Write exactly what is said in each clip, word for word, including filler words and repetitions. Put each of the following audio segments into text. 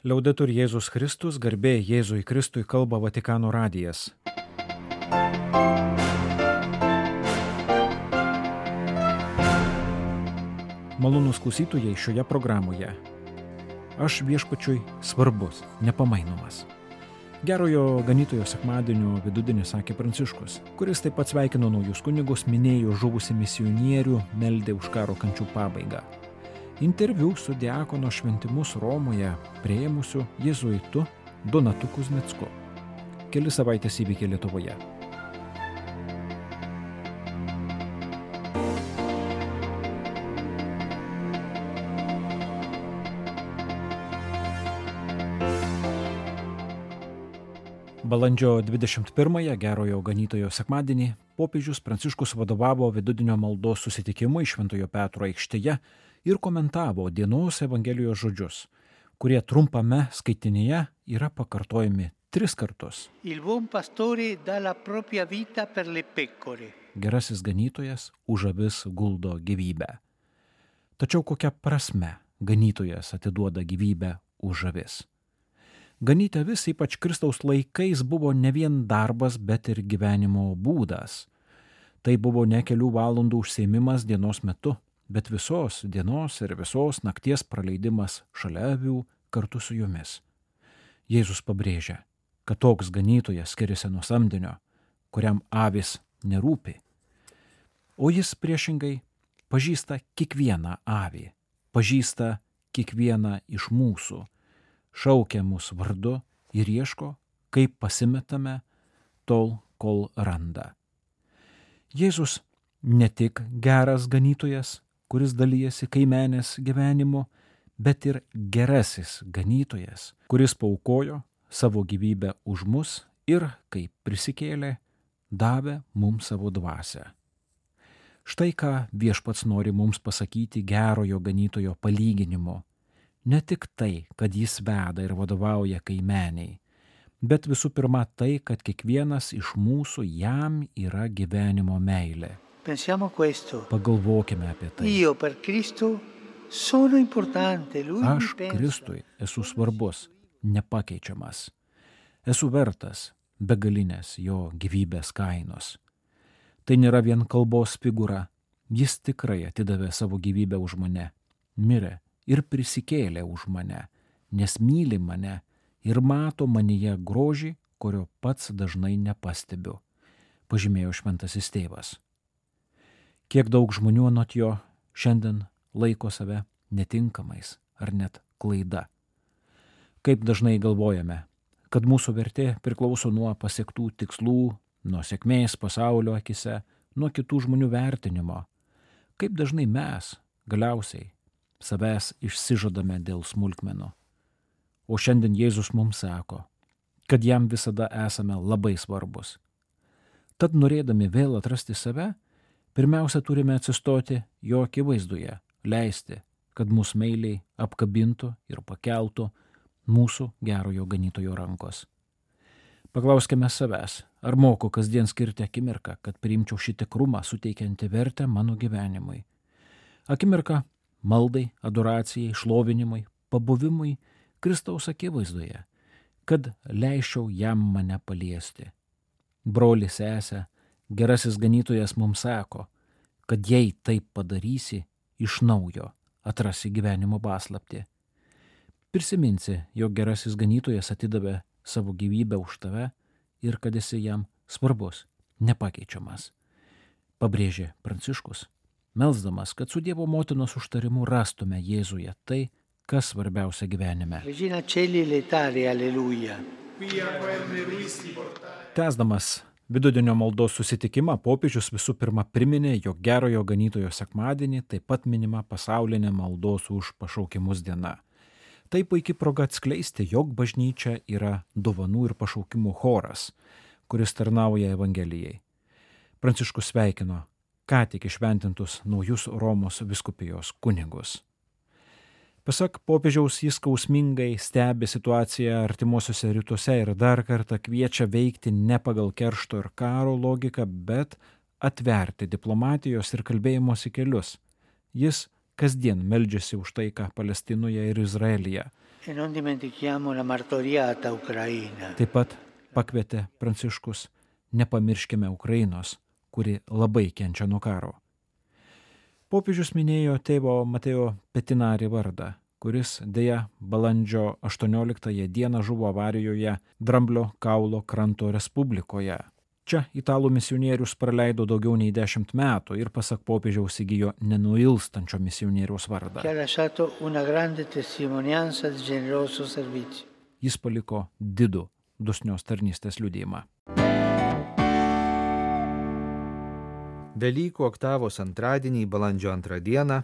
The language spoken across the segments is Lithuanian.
Liaudetur Jėzus Kristus, garbė Jėzui Kristui, kalba Vatikano radijas. Malonūs klausytojai šioje programoje. Aš viešpačiui svarbus, nepamainomas. Gerojo ganytojo sekmadienio vidudienį sakė Pranciškus, kuris taip pat sveikino naujus kunigus, minėjo žuvusį misionierių, meldė už karo kančių pabaigą. Interviu su diakono šventimus Romoje priėmusiu jėzuitu Donatu Kuzmicku. Keli savaitės įvykiai Lietuvoje. Balandžio dvidešimt pirmąją, gerojo ganytojo sekmadienį, popiežius Pranciškus vadovavo vidudienio maldos susitikimui Šventojo Petro aikštėje ir komentavo dienos Evangelijos žodžius, kurie trumpame skaitinyje yra pakartojami tris kartus. Il buon pastore dà la propria vita per le pecore. Gerasis ganytojas už avis guldo gyvybę. Tačiau kokia prasme ganytojas atiduoda gyvybę už avis? Ganyti avis, ypač Kristaus laikais, buvo ne vien darbas, bet ir gyvenimo būdas. Tai buvo ne kelių valandų užsiėmimas dienos metu, bet visos dienos ir visos nakties praleidimas šalia avių kartu su jomis. Jėzus pabrėžia, kad toks ganytojas skiriasi nuo samdinio, kuriam avis nerūpi. O jis priešingai pažįsta kiekvieną avį, pažįsta kiekvieną iš mūsų, šaukia mus vardu ir ieško, kaip pasimetame, tol, kol randa. Jėzus ne tik geras ganytojas, kuris dalyjasi kaimenės gyvenimu, bet ir gerasis ganytojas, kuris paaukojo savo gyvybę už mus ir, kaip prisikėlė, davė mums savo dvasią. Štai ką viešpats nori mums pasakyti gerojo ganytojo palyginimu. Ne tik tai, kad jis veda ir vadovauja kaimeniai, bet visų pirma tai, kad kiekvienas iš mūsų jam yra gyvenimo meilė. Pensiamo questo. Pagalvokime apie tai. Io per Cristo sono importante, lui Aš mi pensa. Kristui esu svarbus, nepakeičiamas. Esu vertas begalinės jo gyvybės kainos. Tai nėra vien kalbos figūra. Jis tikrai atidavė savo gyvybę už mane, mirė ir prisikėlė už mane, nes myli mane ir mato manyje grožį, kurio pats dažnai nepastebiu, pažymėjo šventasis tėvas. Kiek daug žmonių anot jo šiandien laiko save netinkamais ar net klaida. Kaip dažnai galvojame, kad mūsų vertė priklauso nuo pasiektų tikslų, nuo sėkmės pasaulio akise, nuo kitų žmonių vertinimo. Kaip dažnai mes galiausiai savęs išsižadame dėl smulkmenų. O šiandien Jėzus mums sako, kad jam visada esame labai svarbus. Tad norėdami vėl atrasti save, pirmiausia turime atsistoti jo akivaizdoje, leisti, kad mus meiliai apkabintų ir pakeltų mūsų gerojo ganytojo rankos. Paklauskime savęs, ar moku kasdien skirti akimirką, kad priimčiau šį tikrumą suteikiantį vertę mano gyvenimui. Akimirka maldai, adoracijai, šlovinimui, pabuvimui Kristaus akivaizdoje, kad leisčiau jam mane paliesti. Broli, sesė, gerasis ganytojas mums sako, kad jei taip padarysi, iš naujo atrasi gyvenimo paslaptį. Prisiminsi, jog gerasis ganytojas atidavė savo gyvybę už tave ir kad esi jam svarbus, nepakeičiamas. Pabrėžė Pranciškus, melsdamas, kad su Dievo motinos užtarimu rastume Jėzuje tai, kas svarbiausia gyvenime. Regina Celi letare, alleluja. Tęsdamas vidudienio maldos susitikimą, popiežius visų pirma priminė, jog gerojo ganytojo sekmadienį taip pat minima pasaulinė maldos už pašaukimus diena. Tai puikia proga atskleisti, jog bažnyčia yra dovanų ir pašaukimų choras, kuris tarnauja Evangelijai. Pranciškus sveikino ką tik išventintus naujus Romos vyskupijos kunigus. Pasak popiežiaus, jis skausmingai stebi situaciją artimuosiuose rytuose ir dar kartą kviečia veikti ne pagal keršto ir karo logiką, bet atverti diplomatijos ir kalbėjimosi kelius. Jis kasdien meldžiasi už taiką Palestinoje ir Izraelyje. E non dimentichiamo la martoriata Ucraina. Taip pat pakvietė Pranciškus: nepamirškime Ukrainos, kuri labai kenčia nuo karo. Popiežius minėjo tėvo Mateo Petinari vardą, kuris dėja balandžio aštuonioliktąją dieną žuvo avarijoje Dramblio kaulo kranto Respublikoje. Čia italų misionierius praleido daugiau nei dešimt metų ir pasak popiežiaus įgijo nenuilstančio misionieriaus vardą. Jis paliko didų dosnios tarnystės liudijimą. Velykų oktavos antradienį, balandžio antrą dieną,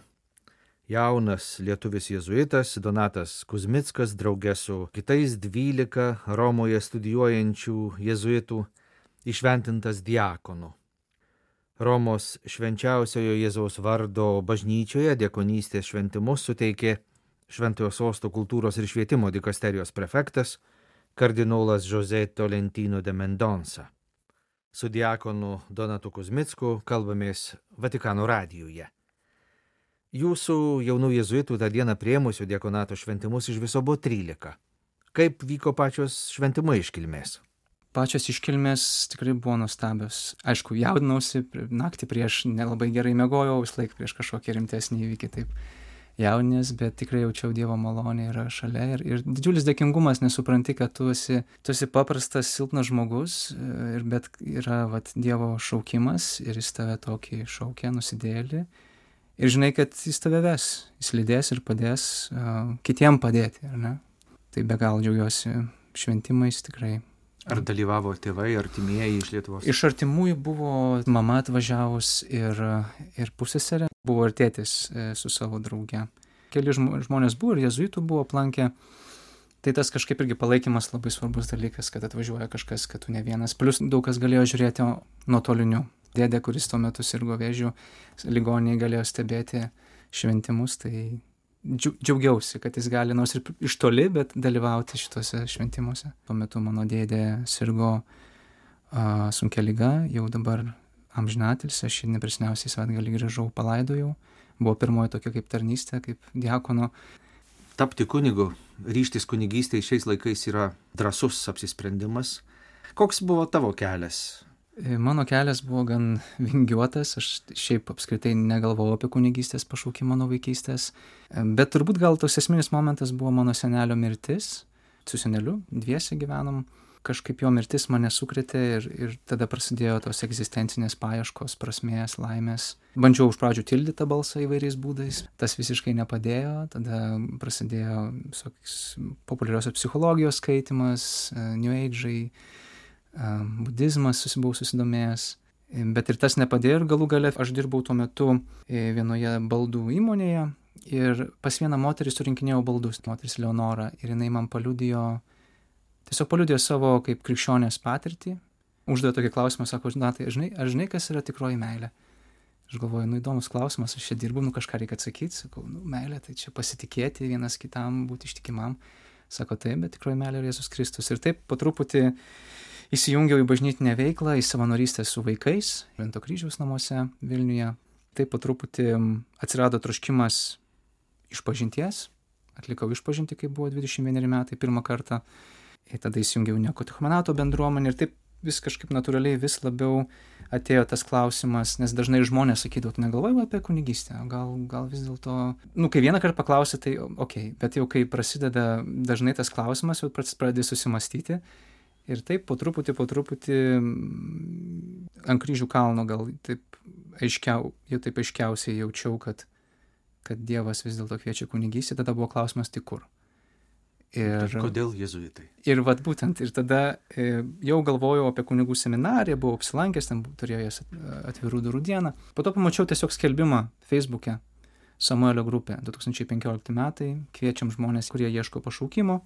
jaunas lietuvis jėzuitas Donatas Kuzmickas drauge su kitais dvylika Romoje studijuojančių jėzuitų įšventintas diakonu. Romos švenčiausiojo Jėzaus vardo bažnyčioje diakonystės šventimus suteikė Šventojo Sosto kultūros ir švietimo dikasterijos prefektas kardinolas José Tolentino de Mendonça. Su diakonu Donatu Kuzmicku kalbamės Vatikano radijuje. Jūsų jaunų jėzuitų tą dieną priėmusių diakonato šventimus iš viso buvo trylika. Kaip vyko pačios šventimo iškilmės? Pačios iškilmės tikrai buvo nuostabios. Aišku, jaudinausi, naktį prieš nelabai gerai miegojau, vis laik prieš kažkokį rimtesnį įvykį, taip jaudinės, bet tikrai jaučiau Dievo malonę yra šalia. Ir, ir didžiulis dėkingumas, nesupranti, kad tu esi, tu esi paprastas, silpnas žmogus, ir, bet yra vat, Dievo šaukimas ir jis tave tokį šaukia, nusidėlį. Ir žinai, kad jis tave ves, jis lydės ir padės uh, kitiem padėti, ar ne? Tai be galo džiaugiuosi šventimais tikrai. Ar dalyvavo tėvai, artimieji iš Lietuvos? Iš artimųjų buvo mama atvažiavus ir, ir pusseserė, buvo ir tėtis su savo drauge. Keli žmonės buvo ir jėzuitų buvo aplankę. Tai tas kažkaip irgi palaikymas labai svarbus dalykas, kad atvažiuoja kažkas, kad tu ne vienas. Plius daug kas galėjo žiūrėti nuotoliniu. Dėdė, kuris tuo metu sirgo vėžiu, ligoninėje galėjo stebėti šventimus, tai džiaugiausi, kad jis gali nors ir iš toli, bet dalyvauti šituose šventimuose. Tuo metu mano dėdė sirgo uh, sunkia liga, jau dabar amžinatilsį, aš jį neprisiminiausiai savaitgalį grįžau, palaidojau. Buvo pirmoji tokia kaip tarnystė, kaip diakono. Tapti kunigu, ryžtis kunigystėje šiais laikais yra drąsus apsisprendimas. Koks buvo tavo kelias? Mano kelias buvo gan vingiuotas, aš šiaip apskritai negalvojau apie kunigystės pašaukimą nuo vaikystės, bet turbūt gal tos esminis momentas buvo mano senelio mirtis, su seneliu dviese gyvenom, kažkaip jo mirtis mane sukrėtė ir, ir tada prasidėjo tos egzistencinės paieškos, prasmės, laimės. Bandžiau už pradžių tildyti tą balsą įvairiais būdais, tas visiškai nepadėjo, tada prasidėjo visokios populiariosios psichologijos skaitimas, New Age'ai, budizmas buvau susidomėjęs, bet ir tas nepadėjo ir galų gale aš dirbau tuo metu vienoje baldų įmonėje ir pas vieną moterį surinkinėjau baldus, moteris Leonora, ir jinai man paliudijo, tiesiog paliudijo savo kaip krikščionės patirtį, uždavė tokį klausimą, sako, na tai žinai, aš žinai, kas yra tikroji meilė. Aš galvoju, nu įdomus klausimas, aš čia dirbu, nu kažką reikia atsakyti, sakau, nu meilė, tai čia pasitikėti vienas kitam, būti ištikimam. Sako, taip, bet tikroji meilė yra Jėzus Kristus. Ir taip po truputį įsijungiau į bažnytinę veiklą, į savanorystę su vaikais, Švento kryžiaus namuose Vilniuje. Taip po truputį atsirado troškimas išpažinties, atlikau išpažintį, kai buvo dvidešimt vieneri metai pirmą kartą. Ir tada įsijungiau neokatechumenato bendruomenę ir taip vis kažkaip natūraliai vis labiau atėjo tas klausimas, nes dažnai žmonės sakydavo, tu negalvojai apie kunigystę, gal, gal vis dėlto, nu kai vieną kartą paklausė, tai okei, okay. Bet jau kai prasideda dažnai tas klausimas, jau pradedi susimastyti. Ir taip po truputį, po truputį ant kryžių kalno gal taip aiškiau, jau taip aiškiausiai jaučiau, kad, kad Dievas vis dėlto kviečia kunigystę, tada buvo klausimas tik kur. Ir, ir kodėl jėzuitai? Ir vat būtent, ir tada e, jau galvojau apie kunigų seminariją, buvau apsilankęs, ten turėjau jas atvirų durų dieną. Po to pamačiau tiesiog skelbimą Facebook'e, Samuelio grupė, du tūkstančiai penkiolikti metai, kviečiam žmonės, kurie ieško pašaukimo,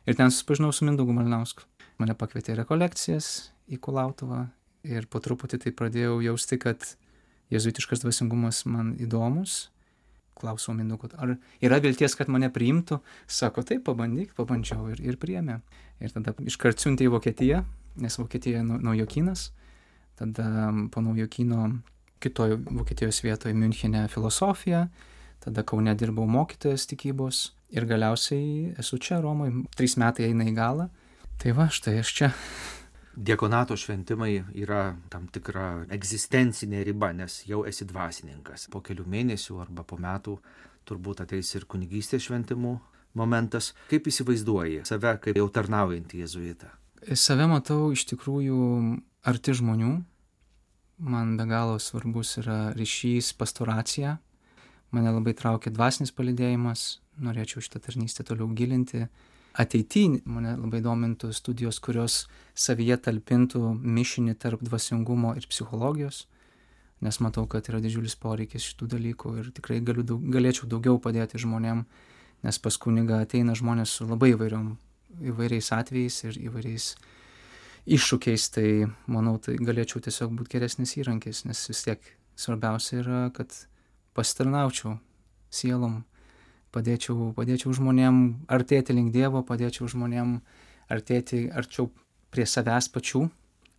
ir ten susipažinau su Mindaugu Malinausku. Mane pakvietė į rekolekcijas į Kulautuvą ir po truputį tai pradėjau jausti, kad jėzuitiškas dvasingumas man įdomus. Klausau Mindaugo, ar yra vilties, kad mane priimtų? Sako, taip, pabandyk, pabandžiau ir, ir priėmė. Ir tada iškart siuntė į Vokietiją, nes Vokietija naujokynas. Tada po naujokyno kitoje Vokietijos vietoje Miunchene filosofija. Tada Kaune dirbau mokytojas tikybos. Ir galiausiai esu čia Romoje, trys metai eina į galą. Tai va, štai aš čia. Diakonato šventimai yra tam tikra egzistencinė riba, nes jau esi dvasininkas. Po kelių mėnesių arba po metų turbūt ateis ir kunigystės šventimų momentas. Kaip įsivaizduoji save kaip jau tarnaujantį jėzuitą? Save matau iš tikrųjų arti žmonių. Man be galo svarbus yra ryšys, pastoracija. Mane labai traukia dvasinis palydėjimas. Norėčiau šitą tarnystę toliau gilinti. Ateityje mane labai domintų studijos, kurios savyje talpintų mišinį tarp dvasingumo ir psichologijos, nes matau, kad yra didžiulis poreikis šitų dalykų ir tikrai galiu daug, galėčiau daugiau padėti žmonėm, nes pas kunigą ateina žmonės su labai įvairiom, įvairiais atvejais ir įvairiais iššūkiais, tai manau, tai galėčiau tiesiog būti geresnis įrankis, nes vis tiek svarbiausia yra, kad pasitarnaučiau sielom, Padėčiau, padėčiau žmonėm artėti link Dievo, padėčiau žmonėm artėti arčiau prie savęs pačių,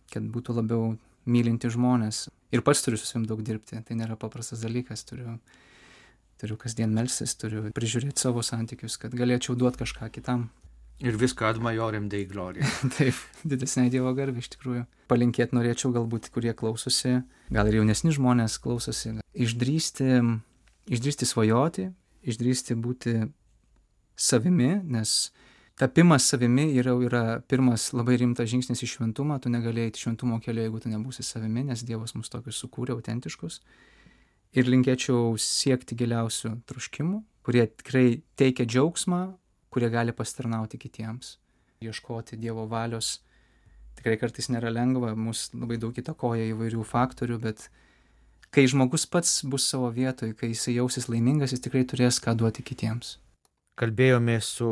kad būtų labiau mylinti žmonės. Ir pats turiu su savim daug dirbti, tai nėra paprastas dalykas, turiu, turiu kasdien melstis, turiu prižiūrėti savo santykius, kad galėčiau duoti kažką kitam. Ir viską ad majorem Dei gloria. Taip, didesnė Dievo garbė iš tikrųjų. Palinkėti norėčiau galbūt, kurie klausosi, gal ir jaunesni žmonės klausosi, išdrįsti, išdrįsti svajoti, išdrįsti būti savimi, nes tapimas savimi yra, yra pirmas labai rimtas žingsnis į šventumą, tu negalėjai į šventumo kelią, jeigu tu nebūsi savimi, nes Dievas mus tokius sukūrė, autentiškus. Ir linkėčiau siekti giliausių troškimų, kurie tikrai teikia džiaugsmą, kurie gali pasitarnauti kitiems. Ieškoti Dievo valios tikrai kartais nėra lengva, mus labai daug įtakoja įvairių faktorių, bet kai žmogus pats bus savo vietoj, kai jis jausis laimingas, jis tikrai turės ką duoti kitiems. Kalbėjome su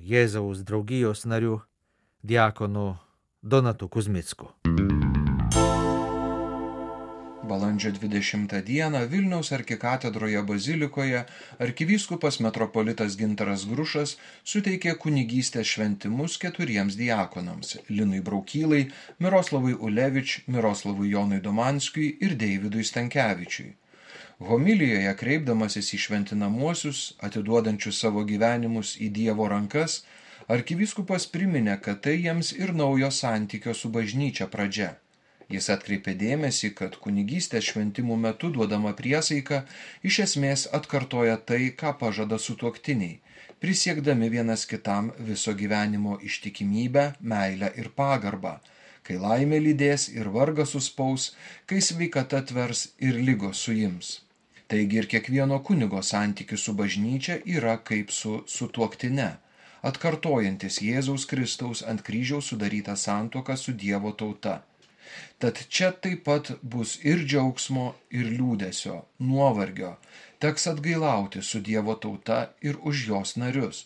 Jėzaus draugijos nariu, diakonu Donatu Kuzmicku. Balandžio dvidešimtą dieną Vilniaus arkikatedroje bazilikoje arkivyskupas metropolitas Gintaras Grušas suteikė kunigystės šventimus keturiems diakonams – Linui Braukylai, Miroslavui Ulevič, Miroslavui Jonui Domanskiui ir Deividui Stankevičiui. Homilijoje kreipdamasis į šventinamuosius, atiduodančius savo gyvenimus į Dievo rankas, arkivyskupas priminė, kad tai jiems ir naujo santykio su bažnyčia pradžia. Jis atkreipė dėmesį, kad kunigystės šventimų metu duodama priesaika iš esmės atkartoja tai, ką pažada sutuoktiniai, prisiekdami vienas kitam viso gyvenimo ištikimybę, meilę ir pagarbą, kai laimė lydės ir vargas suspaus, kai sveikata tvers ir ligos suims. Taigi ir kiekvieno kunigo santykis su bažnyčia yra kaip su sutuoktine, atkartojantis Jėzaus Kristaus ant kryžiaus sudarytą santuoką su Dievo tauta. Tad čia taip pat bus ir džiaugsmo, ir liūdesio, nuovargio, teks atgailauti su Dievo tauta ir už jos narius,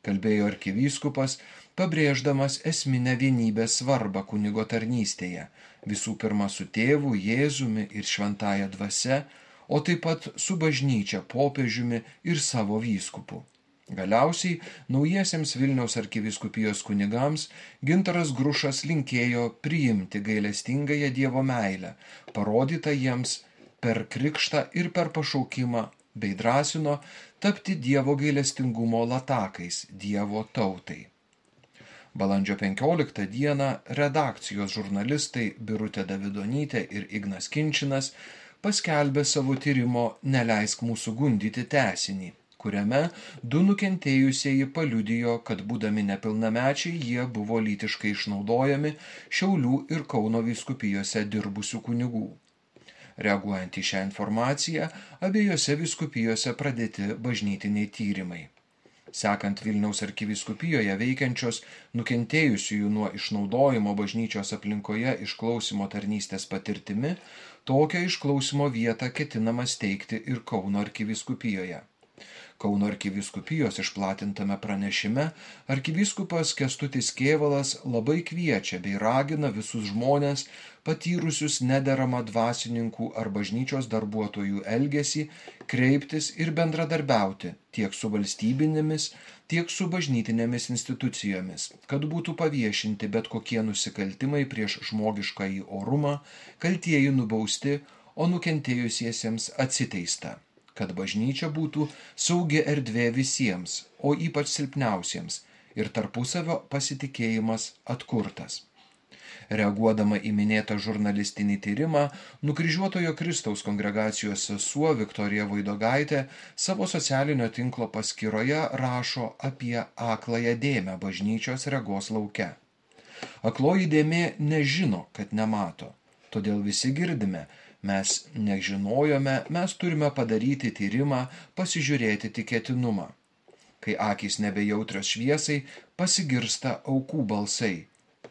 kalbėjo arkivyskupas, pabrėždamas esminę vienybės svarbą kunigo tarnystėje, visų pirma su tėvu, Jėzumi ir šventąja dvasia, o taip pat su bažnyčia, popiežiumi ir savo vyskupu. Galiausiai naujiesiems Vilniaus arkivyskupijos kunigams Gintaras Grušas linkėjo priimti gailestingąją Dievo meilę, parodytą jiems per krikštą ir per pašaukimą, bei drąsino tapti Dievo gailestingumo latakais Dievo tautai. Balandžio penkioliktą dieną redakcijos žurnalistai Birutė Davidonytė ir Ignas Kinčinas paskelbė savo tyrimo Neleisk mūsų gundyti tęsinį, kuriame du nukentėjusieji paliudijo, kad būdami nepilnamečiai jie buvo lytiškai išnaudojami Šiaulių ir Kauno vyskupijose dirbusių kunigų. Reaguojant į šią informaciją, abiejose vyskupijose pradėti bažnytiniai tyrimai. Sekant Vilniaus arkivyskupijoje veikiančios nukentėjusiųjų nuo išnaudojimo bažnyčios aplinkoje išklausimo tarnystės patirtimi, tokią išklausimo vietą ketinama steigti ir Kauno arkivyskupijoje. Kauno arkivyskupijos išplatintame pranešime arkivyskupas Kęstutis Kėvalas labai kviečia bei ragina visus žmones, patyrusius nederamą dvasininkų ar bažnyčios darbuotojų elgesį, kreiptis ir bendradarbiauti tiek su valstybinėmis, tiek su bažnytinėmis institucijomis, kad būtų paviešinti bet kokie nusikaltimai prieš žmogiškąjį orumą, kaltieji nubausti, o nukentėjusiesiems atsiteista. kad bažnyčia būtų saugi erdvė visiems, o ypač silpniausiems, ir tarpusavio pasitikėjimas atkurtas. Reaguodama į minėtą žurnalistinį tyrimą, nukryžiuotojo Kristaus kongregacijos sesuo Viktorija Voidogaitė savo socialinio tinklo paskyroje rašo apie akląją dėmę bažnyčios regos lauke. Akloji dėmė nežino, kad nemato, todėl visi girdime, mes nežinojome, mes turime padaryti tyrimą, pasižiūrėti tikėtinumą. Kai akys nebejautrios šviesai, pasigirsta aukų balsai.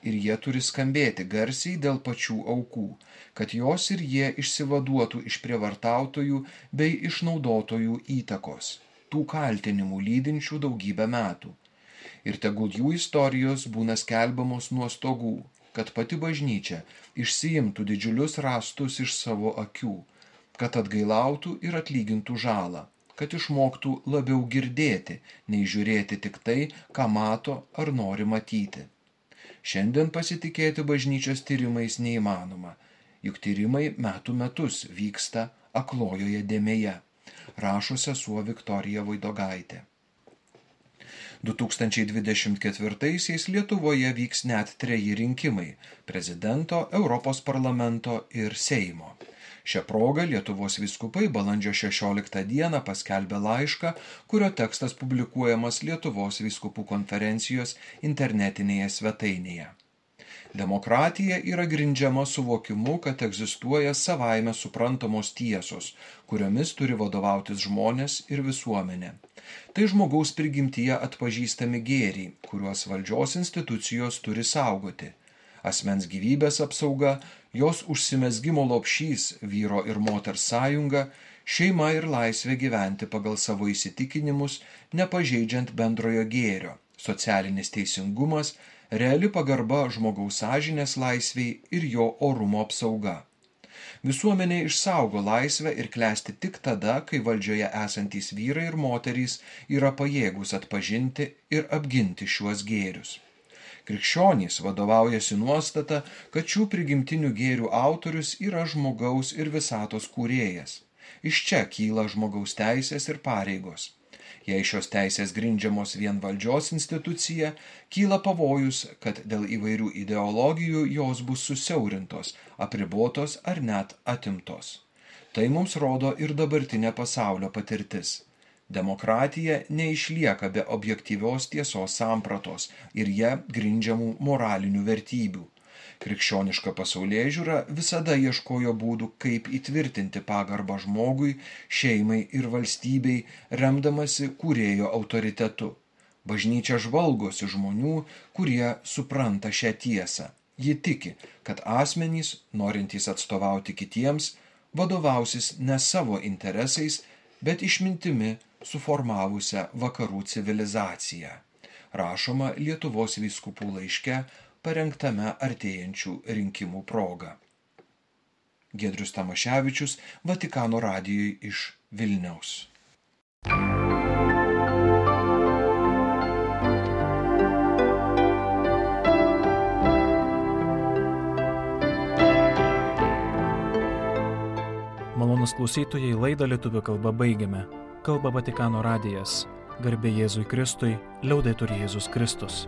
Ir jie turi skambėti garsiai dėl pačių aukų, kad jos ir jie išsivaduotų iš prievartautojų bei išnaudotojų įtakos, tų kaltinimų lydinčių daugybę metų. Ir tegul jų istorijos būna skelbiamos nuo stogų, kad pati bažnyčia išsiimtų didžiulius rąstus iš savo akių, kad atgailautų ir atlygintų žalą, kad išmoktų labiau girdėti, nei žiūrėti tik tai, ką mato ar nori matyti. Šiandien pasitikėti bažnyčios tyrimais neįmanoma, juk tyrimai metų metus vyksta aklojoje dėmėje, rašo sesuo Viktorija Voidogaitė. du tūkstančiai dvidešimt ketvirtaisiais Lietuvoje vyks net treji rinkimai – prezidento, Europos parlamento ir Seimo. Šią progą Lietuvos vyskupai balandžio šešioliktą dieną paskelbė laišką, kurio tekstas publikuojamas Lietuvos vyskupų konferencijos internetinėje svetainėje. Demokratija yra grindžiama suvokimu, kad egzistuoja savaime suprantamos tiesos, kuriomis turi vadovautis žmonės ir visuomenė. Tai žmogaus prigimtyje atpažįstami gėriai, kuriuos valdžios institucijos turi saugoti. Asmens gyvybės apsauga, jos užsimezgimo lopšys, vyro ir moters sąjunga, šeima ir laisvė gyventi pagal savo įsitikinimus, nepažeidžiant bendrojo gėrio, socialinis teisingumas, reali pagarba žmogaus sąžinės laisvei ir jo orumo apsauga. Visuomenė išsaugo laisvę ir klesti tik tada, kai valdžioje esantys vyrai ir moterys yra pajėgūs atpažinti ir apginti šiuos gėrius. Krikščionys vadovaujasi nuostata, kad šių prigimtinių gėrių autorius yra žmogaus ir visatos kūrėjas. Iš čia kyla žmogaus teisės ir pareigos. Jei šios teisės grindžiamos vien valdžios institucija, kyla pavojus, kad dėl įvairių ideologijų jos bus susiaurintos, apribotos ar net atimtos. Tai mums rodo ir dabartinė pasaulio patirtis. Demokratija neišlieka be objektyvios tiesos sampratos ir ją grindžiamų moralinių vertybių. Krikščioniška pasaulėžiūra visada ieškojo būdų, kaip įtvirtinti pagarbą žmogui, šeimai ir valstybei, remdamasi kūrėjo autoritetu. Bažnyčia žvalgosi žmonių, kurie supranta šią tiesą. Ji tiki, kad asmenys, norintys atstovauti kitiems, vadovausis ne savo interesais, bet išmintimi suformavusią vakarų civilizaciją. Rašoma Lietuvos vyskupų laiške, parengtame artėjančių rinkimų proga. Giedrius Tamaševičius, Vatikano radijui iš Vilniaus. Malonūs klausytojai, laidą lietuvių kalba baigiame. Kalba Vatikano radijas. Garbė Jėzui Kristui, liaudetur Jėzus Kristus.